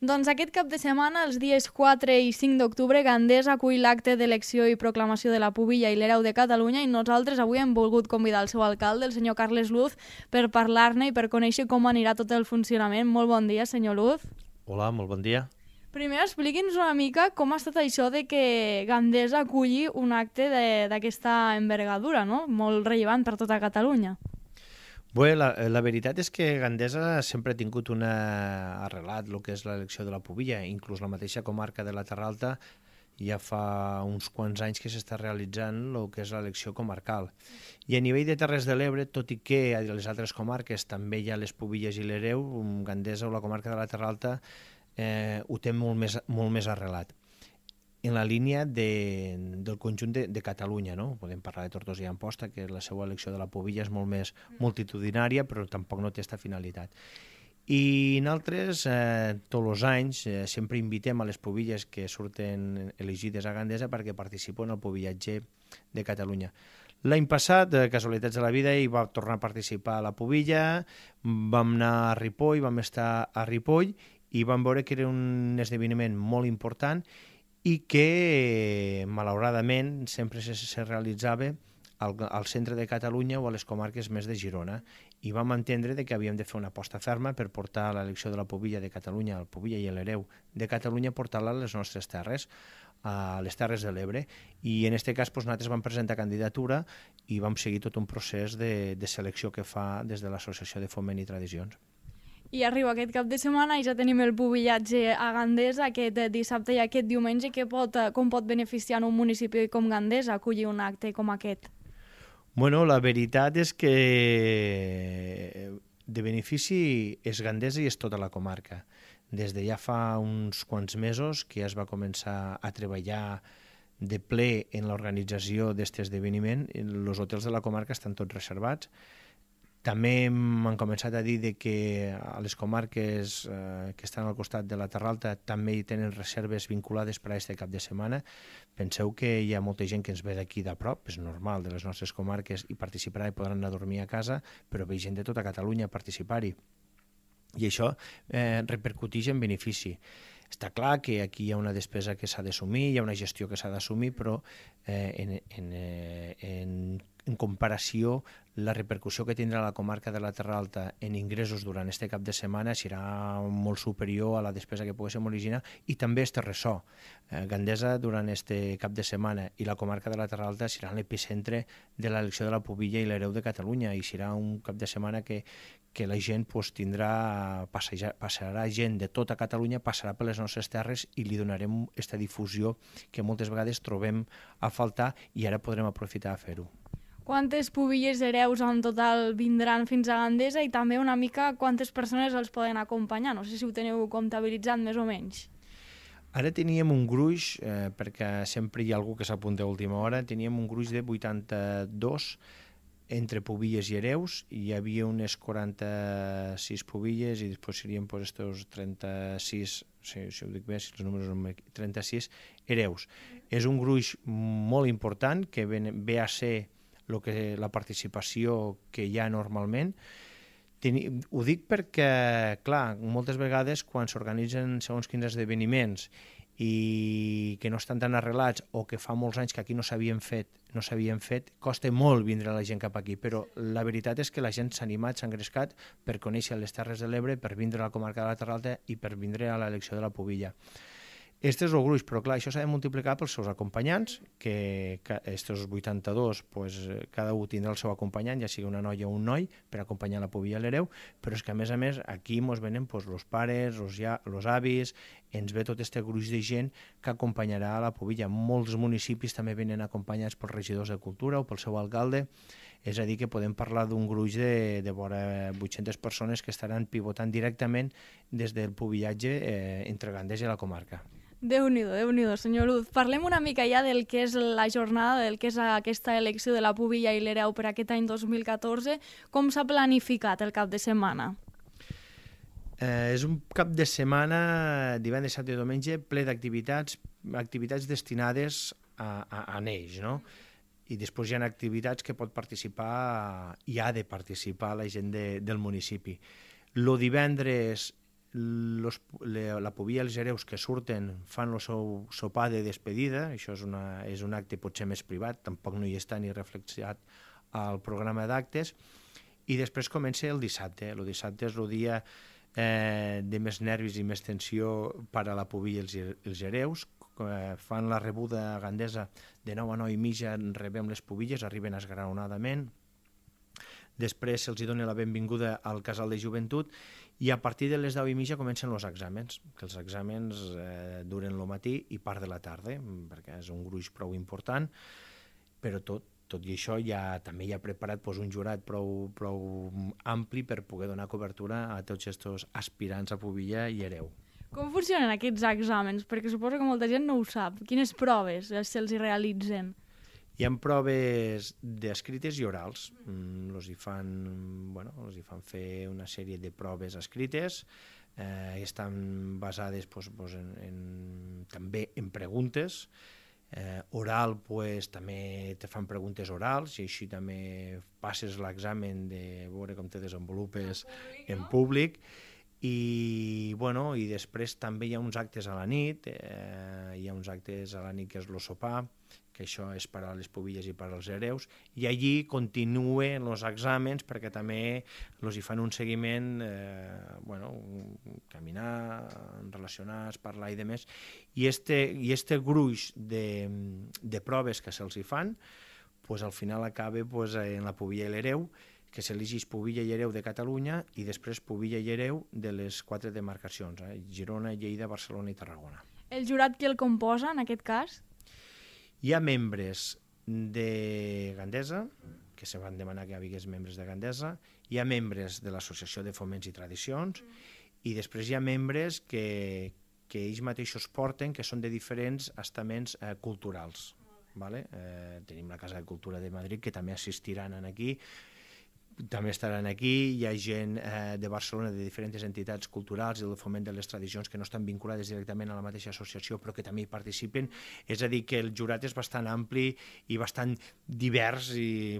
Doncs aquest cap de setmana, els dies 4 i 5 d'octubre, Gandesa acull l'acte d'elecció i proclamació de la Pubilla i l'Hereu de Catalunya i nosaltres avui hem volgut convidar el seu alcalde, el senyor Carles Luz, per parlar-ne i per conèixer com anirà tot el funcionament. Molt bon dia, senyor Luz. Hola, molt bon dia. Primer, expliqui'ns una mica com ha estat això de que Gandesa aculli un acte d'aquesta envergadura, no? Molt rellevant per tota Catalunya. Bé, la veritat és que Gandesa sempre ha tingut arrelat el que és l'elecció de la Pubilla, inclús la mateixa comarca de la Terra Alta ja fa uns quants anys que s'està realitzant el que és l'elecció comarcal. I a nivell de Terres de l'Ebre, tot i que a les altres comarques també hi ha les Pubilles i l'Hereu, Gandesa o la comarca de la Terra Alta ho té molt més arrelat. En la línia del conjunt de Catalunya, no? Podem parlar de Tortosa i Amposta, que la seva elecció de la Pubilla és molt més multitudinària, però tampoc no té aquesta finalitat. I nosaltres, tots els anys, sempre invitem a les Pubilles que surten elegides a Gandesa perquè participen al Pubillatge de Catalunya. L'any passat, casualitats de la vida, hi va tornar a participar a la Pubilla, vam anar a Ripoll, vam estar a Ripoll i vam veure que era un esdeveniment molt important i que, malauradament, sempre se realitzava al centre de Catalunya o a les comarques més de Girona. I vam entendre que havíem de fer una aposta ferma per portar l'elecció de la Pubilla de Catalunya, el Pubilla i l'Hereu de Catalunya, portar-la a les nostres terres, a les Terres de l'Ebre. I en aquest cas nosaltres vam presentar candidatura i vam seguir tot un procés de selecció que fa des de l'Associació de Foment i Tradicions. I arriba aquest cap de setmana i ja tenim el pubillatge a Gandesa aquest dissabte i aquest diumenge. Com pot beneficiar un municipi com Gandesa acollir un acte com aquest? Bueno, la veritat és que de benefici és Gandesa i és tota la comarca. Des de ja fa uns quants mesos que ja es va començar a treballar de ple en l'organització d'aquest esdeveniment. Els hotels de la comarca estan tots reservats. També m'han començat a dir que a les comarques que estan al costat de la Terra Alta també hi tenen reserves vinculades per a aquest cap de setmana. Penseu que hi ha molta gent que ens ve d'aquí de prop, és normal, de les nostres comarques, i participarà i podran anar a dormir a casa, però ve gent de tota Catalunya a participar-hi. I això repercuteix en benefici. Està clar que aquí hi ha una despesa que s'ha d'assumir, hi ha una gestió que s'ha d'assumir, però en comparació, la repercussió que tindrà la comarca de la Terra Alta en ingressos durant aquest cap de setmana serà molt superior a la despesa que poguéssim originar, i també este ressò. Gandesa durant aquest cap de setmana i la comarca de la Terra Alta serà l'epicentre de l'elecció de la Pubilla i l'Hereu de Catalunya, i serà un cap de setmana que la gent passarà gent de tota Catalunya, passarà per les nostres terres i li donarem aquesta difusió que moltes vegades trobem a faltar i ara podrem aprofitar a fer-ho. Quantes pubilles hereus en total vindran fins a Gandesa i també una mica quantes persones els poden acompanyar? No sé si ho teniu comptabilitzat més o menys. Ara teníem un gruix, perquè sempre hi ha algú que s'apunta a última hora, teníem un gruix de 82 entre pubilles i hereus, hi havia unes 46 pubilles i després serien estos 36, si ho dic bé, si els números són 36 hereus. És un gruix molt important que ve a ser la participació que hi ha normalment. Ho dic perquè, clar, moltes vegades quan s'organitzen segons quins esdeveniments i que no estan tan arrelats o que fa molts anys que aquí no s'havien fet, costa molt vindre la gent cap aquí, però la veritat és que la gent s'ha animat, s'ha engrescat per conèixer les Terres de l'Ebre, per vindre a la comarca de la Terra Alta i per vindre a l'elecció de la Pubilla. Este és el gruix, però clar, això s'ha de multiplicar pels seus acompanyants, que estos 82, cada un tindrà el seu acompanyant, ja sigui una noia o un noi, per acompanyar la Pubilla i l'Hereu, però és que a més aquí ens venen els pares, els avis, ens ve tot aquest gruix de gent que acompanyarà a la Pubilla. Molts municipis també venen acompanyats pels regidors de Cultura o pel seu alcalde, és a dir, que podem parlar d'un gruix de vora 800 persones que estaran pivotant directament des del pubillatge entre Gandesa i la comarca. Déu-n'hi-do, senyor Luz. Parlem una mica ja del que és la jornada, del que és aquesta elecció de la Pubilla i l'Hereu per aquest any 2014. Com s'ha planificat el cap de setmana? És un cap de setmana, divendres, dissabte i diumenge, ple d'activitats destinades a neix, no? I després hi ha activitats que pot participar i ha de participar la gent del municipi. El divendres la Pubilla i els hereus que surten fan el seu sopar de despedida, això és un acte potser més privat, tampoc no hi està ni reflexionat al programa d'actes, i després comença el dissabte. El dissabte és el dia de més nervis i més tensió per a la Pubilla i els hereus. Fan la rebuda a Gandesa de 9 a 9 i mitja, rebem les pubilles, arriben esglaonadament. Després se'ls dona la benvinguda al casal de joventut i a partir de les 10 i mitja comencen els exàmens, que els exàmens duren el matí i part de la tarda, perquè és un gruix prou important, però tot i això també hi ha preparat un jurat prou ampli per poder donar cobertura a tots aquests aspirants a Pubilla i hereu. Com funcionen aquests exàmens? Perquè suposo que molta gent no ho sap. Quines proves se'ls realitzen? Hi ha proves escrites i orals. Els hi fan fer una sèrie de proves escrites, estan basades també en preguntes. Oral, també te fan preguntes orals i així també passes l'examen de veure com te desenvolupes en públic. I després també hi ha uns actes a la nit, que és el sopar, que això és per a les pubilles i per als hereus, i allí continuen els exàmens perquè també els hi fan un seguiment, caminar, relacionar, parlar i demés, i este gruix de proves que se'ls hi fan, al final acaba en la pubilla i l'hereu, que s'elegeix Pubilla i Hereu de Catalunya i després Pubilla i Hereu de les 4 demarcacions, Girona, Lleida, Barcelona i Tarragona. El jurat qui el composa, en aquest cas? Hi ha membres de Gandesa, que se van demanar que hi hagués membres de Gandesa, hi ha membres de l'Associació de Foments i Tradicions, i després hi ha membres que ells mateixos porten, que són de diferents estaments culturals. Tenim la Casa de Cultura de Madrid, que també assistiran aquí, també estaran aquí, hi ha gent de Barcelona, de diferents entitats culturals i del foment de les tradicions que no estan vinculades directament a la mateixa associació però que també hi participen, és a dir que el jurat és bastant ampli i bastant divers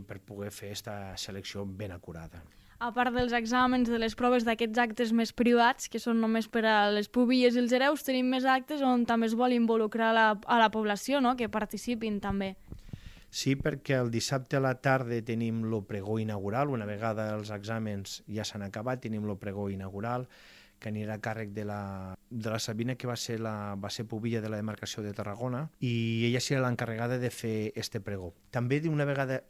per poder fer aquesta selecció ben acurada. A part dels exàmens, de les proves d'aquests actes més privats, que són només per a les pubilles i els hereus, tenim més actes on també es vol involucrar a la població, no? Que participin també. Sí, perquè el dissabte a la tarda tenim el pregó inaugural, una vegada els exàmens ja s'han acabat, tenim el pregó inaugural, que anirà a càrrec de la Sabina, que va ser pubilla de la demarcació de Tarragona, i ella serà l'encarregada de fer este pregó. També una vegada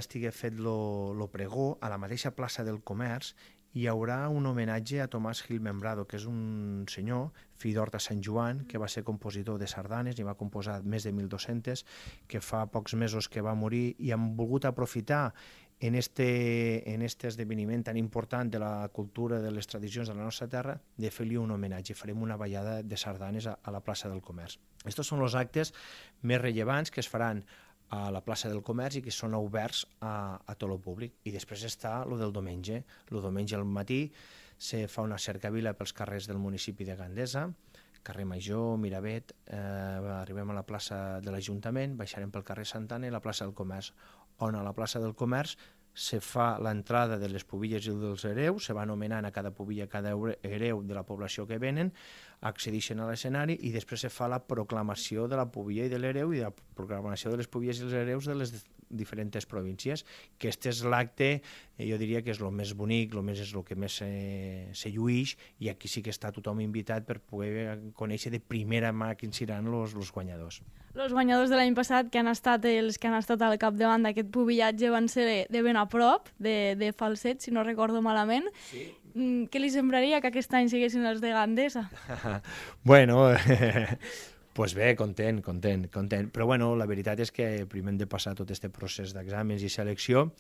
estigui fet el pregó, a la mateixa plaça del Comerç, hi haurà un homenatge a Tomàs Gil Membrado, que és un senyor, fill d'Horta Sant Joan, que va ser compositor de sardanes i va composar més de 1.200, que fa pocs mesos que va morir, i hem volgut aprofitar en este esdeveniment tan important de la cultura, de les tradicions de la nostra terra, de fer-li un homenatge. Farem una ballada de sardanes a la plaça del Comerç. Estos són els actes més rellevants que es faran a la plaça del Comerç i que són oberts a tot el públic. I després està el del diumenge. El diumenge al matí se fa una cercavila pels carrers del municipi de Gandesa, carrer Major, Miravet, arribem a la plaça de l'Ajuntament, baixarem pel carrer Santana i la plaça del Comerç, on a la plaça del Comerç se fa l'entrada de les pubilles i dels hereus, se va anomenant a cada pubilla, a cada hereu de la població que venen, accedeixen a l'escenari i després se fa la proclamació de la pubilla i de l'hereu i la proclamació de les pubilles i els hereus de les diferents províncies, que este és l'acte, jo diria que és el més bonic, és el que més se llueix, i aquí sí que està tothom invitat per poder conèixer de primera mà quins seran els guanyadors. Els guanyadors de l'any passat, que han estat els que han estat al capdavant d'aquest pubillatge, van ser de ben a prop, de Falset, si no recordo malament. Sí. Què li semblaria que aquest any siguessin els de Gandesa? Bueno, pues bé, content. Però bueno, la veritat és que primer hem de passar tot aquest procés d'exàmens i selecció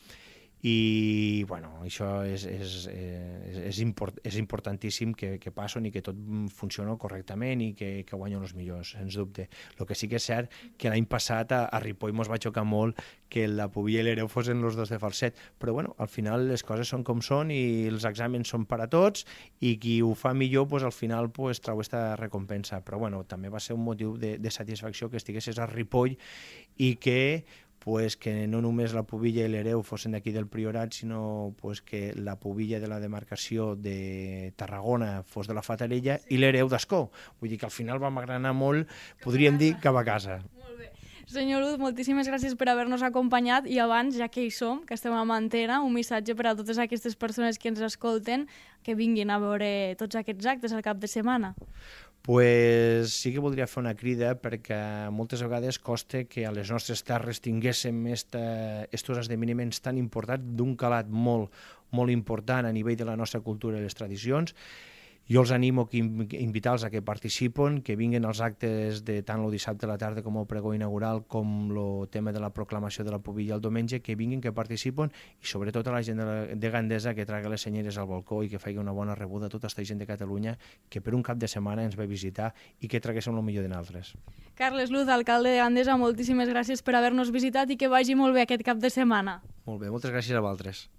i bueno, això és importantíssim que passen i que tot funciona correctament i que guanyen els millors, sens dubte. El que sí que és cert que l'any passat a Ripoll ens va xocar molt que la pubilla i l'hereu fossin els dos de Falset, però bueno, al final les coses són com són i els exàmens són per a tots i qui ho fa millor al final trau aquesta recompensa, però bueno, també va ser un motiu de satisfacció que estiguessis a Ripoll i que pues, que no només la Pubilla i l'Hereu fossin d'aquí del Priorat, sinó pues, que la Pubilla de la demarcació de Tarragona fos de la Fatarella i l'Hereu d'Ascó. Vull dir que al final vam agranar molt, podríem dir, cap a casa. Molt bé. Senyor Luz, moltíssimes gràcies per haver-nos acompanyat i abans, ja que hi som, que estem a Mantena, un missatge per a totes aquestes persones que ens escolten que vinguin a veure tots aquests actes al cap de setmana. Pues sí que voldria fer una crida perquè moltes vegades costa que a les nostres terres tinguéssim estos esdeveniments tan importants d'un calat molt, molt important a nivell de la nostra cultura i les tradicions. Jo els animo a invitar-los a que participen, que vinguin als actes de tant el dissabte a la tarda com el pregó inaugural com el tema de la proclamació de la Pubilla el diumenge, que vinguin, que participen i sobretot a la gent de Gandesa que traga les senyeres al balcó i que faci una bona rebuda a tota aquesta gent de Catalunya que per un cap de setmana ens va visitar i que traguéssim el millor de nosaltres. Carles Luz, alcalde de Gandesa, moltíssimes gràcies per haver-nos visitat i que vagi molt bé aquest cap de setmana. Molt bé, moltes gràcies a vosaltres.